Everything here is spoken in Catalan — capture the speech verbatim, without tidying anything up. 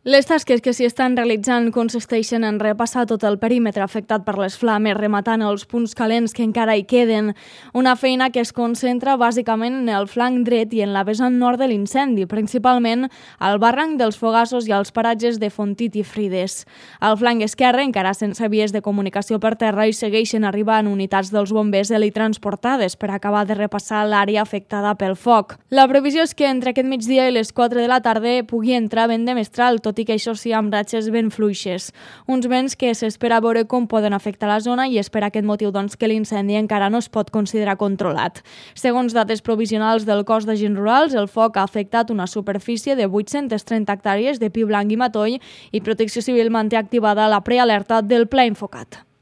Les tasques que s'hi estan realitzant consisteixen en repassar tot el perímetre afectat per les flames, rematant els punts calents que encara hi queden. Una feina que es concentra bàsicament en el flanc dret i en la vessant nord de l'incendi, principalment al barranc dels Fogassos i als paratges de Fontit i Frides. Al flanc esquerre, encara sense vies de comunicació per terra, hi segueixen arribant unitats dels bombers helitransportades per acabar de repassar l'àrea afectada pel foc. La previsió és que entre aquest migdia i les quatre de la tarda pugui entrar vent de mestral, tot i que això sí amb ratxes ben fluixes. Uns vents que s'espera veure com poden afectar la zona i és per aquest motiu doncs, que l'incendi encara no es pot considerar controlat. Segons dates provisionals del cos d'agents rurals, el foc ha afectat una superfície de vuit-centes trenta hectàrees de pi blanc i matoll i Protecció Civil manté activada la prealerta del pla infocat.